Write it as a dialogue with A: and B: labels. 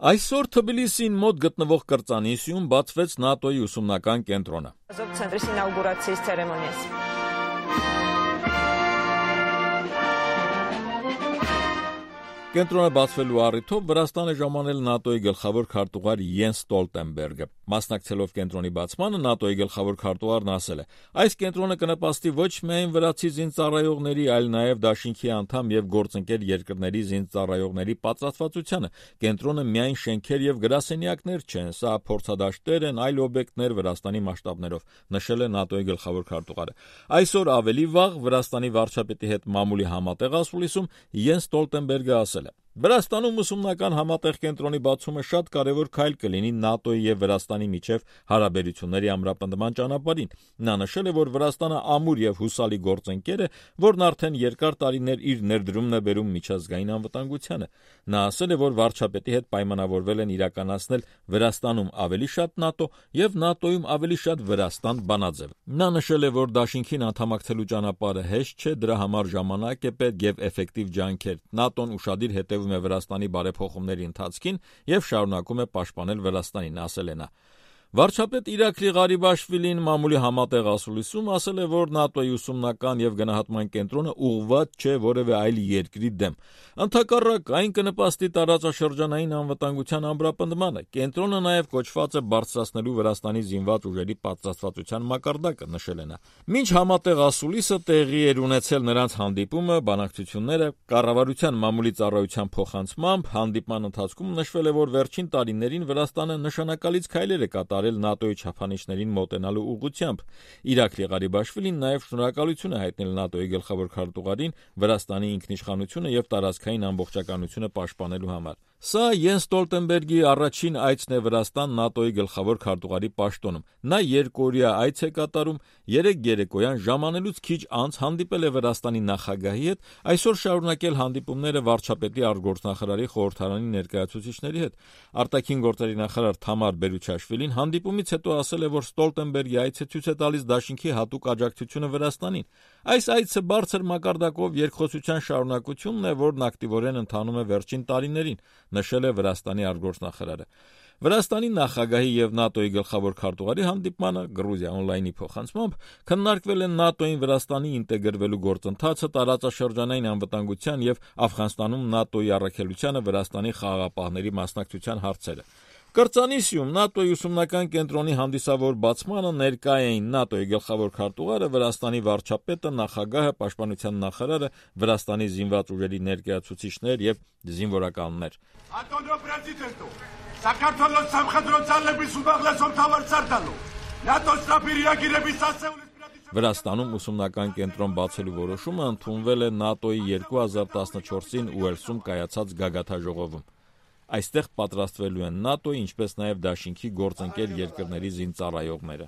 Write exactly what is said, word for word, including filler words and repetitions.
A: Այսօր Թբիլիսին մոտ գտնվող կրծանիսյում բացվեց ՆԱՏՕ-ի ուսումնական կենտրոնը։ Կենտրոնը բացվելու առիթով Վրաստան է ժամանել ՆԱՏՕ-ի գլխավոր քարտուղար Յենս Ստոլտենբերգը։ Մասնակցելով կենտրոնի բացմանը ՆԱՏՕ-ի գլխավոր քարտուղարն ասել է. «Այս կենտրոնը կնպաստի ոչ միայն վրացի զինծառայողների, այլ նաև դաշինքի անդամ եւ գործընկեր երկրների զինծառայողների պատրաստվածությանը։ Կենտրոնը միայն շենքեր եւ գրասենյակներ չեն, սա փորձադաշտեր են, այլ օբյեկտներ Վրաստանի մասշտաբներով», նշել է ՆԱՏՕ-ի գլխավոր քարտուղարը։ Այսօր ավելի վաղ Վրաստանի վարչապետի հետ մամուլի համատեղ ասուլիսում Յենս Ստոլտենբերգը ասել է. «Վրաստանում ուսումնական համատեղ կենտրոնի բացումը շատ կարևոր քայլ կլինի ՆԱՏՕ-ի եւ Վրաստանի միջև հարաբերությունների ամրապնդման ճանապարհին»։ Նա նշել է, որ Վրաստանը ամուր եւ հուսալի գործընկեր է, որն արդեն երկար տարիներ իր ներդրումն է բերում միջազգային անվտանգությանը։ Նա ասել է, որ վարչապետի հետ պայմանավորվել են իրականացնել Վրաստանում ավելի շատ ՆԱՏՕ եւ ՆԱՏՕ-ում ավելի շատ Վրաստան բանաձև։ Նա նշել է, որ դաշինքին անդամակցելու ճանապարհը հեշտ չէ, դրա համար ժամանակ է պետք եւ էֆեկտիվ ջանքեր։ ՆԱՏՕ-ն ուշադիր հետևում է Վրաստանի բարեփոխումների ընթացքին եւ շարունակում է պաշտպանել Վրաստանին, ասել է նա։ Վարչապետ Իրաքլի Ղարիբաշվիլին մամուլի համատեղ ասուլիսում ասել է, որ ՆԱՏՕ-ի ուսումնական եւ գնահատման կենտրոնը ուղղված չէ որևէ այլ երկրի դեմ։ Ընդհակառակ, այն կնպաստի տարածաշրջանային անվտանգության ամրապնդմանը։ Կենտրոնը նաեւ կոչված է բարձրացնելու Վրաստանի զինված ուժերի պատրաստվածության մակարդակը, նշել է նա։ Մինչ համատեղ ասուլիսը տեղի էր ունեցել նրանց հանդիպումը, բանակցությունները, կառավարության մամուլի ծառայության փոխանցմամբ հանդիպման ընթացքում նշվել է, որ վերջին տարիներին Վրաստանը նշանակալից քայլեր է կատարել ՆԱՏՕ-ի չափանիշներին մոտենալու ուղղությամբ։ Իրաքլի Ղարիբաշվիլին նաև շնորհակալություն է հայտնել ՆԱՏՕ-ի գլխավոր քարտուղարին Վրաստանի ինքնիշխանությունը եւ տարածքային ամբողջականությունը պաշտպանելու համար։ Սա Յենս Ստոլտենբերգի առաջին այցն է Վրաստան ՆԱՏՕ-ի գլխավոր քարտուղարի պաշտոնում։ Նա երկօրյա այց է կատարում, երեկ երեկոյան ժամանելուց քիչ անց հանդիպել է Վրաստանի նախագահի հետ, այսօր շարունակել հանդիպումները վարչապետի արտգործնախարարի խորհրդարանի ներկայացուցիչների հետ։ Արտաքին գործերի նախարար Թամար Բերուչաշվիլին հանդիպումից հետո ասել է, որ Ստոլտենբերգի այցը ցույց է տալիս դաշինքի հատուկ աջակցությունը Վրաստանին։ Այս այցը բարձր մակարդակով երկխոսության շարունակությունն է, որն ակտիվորեն ընթանում է վերջին տարիներին, նշել է Վրաստանի արտգործնախարարը։ Վրաստանի նախագահի եւ ՆԱՏՕ-ի գլխավոր քարտուղարի հանդիպմանը Գրուզիա օնլայնի փոխանցմամբ քննարկվել են ՆԱՏՕ-ին Վրաստանի ինտեգրվելու գործընթացը, տարածաշրջանային անվտանգության եւ Աֆղանստանում ՆԱՏՕ-ի առաքելությանը Վրաստանի խաղաղապահների մասնակցության հարցերը։ Կրծանիսյում ՆԱՏՕ-ի ուսումնական կենտրոնի հանդիսավոր բացմանը ներկա էին ՆԱՏՕ-ի գլխավոր քարտուղարը, Վրաստանի վարչապետը, նախագահը, պաշտպանության նախարարը, Վրաստանի զինված ուժերի ներկայացուցիչներ եւ զինվորականներ։ Վրաստանում ուսումնական կենտրոն բացելու որոշումը ընդունվել է ՆԱՏՕ-ի երկու հազար տասնչորսին Ուելսում կայացած գագաթաժողովում։ Այստեղ պատրաստվելու են ՆԱՏՕ-ի, ինչպես նաև դաշինքի գործընկեր երկրների զինծառայողները։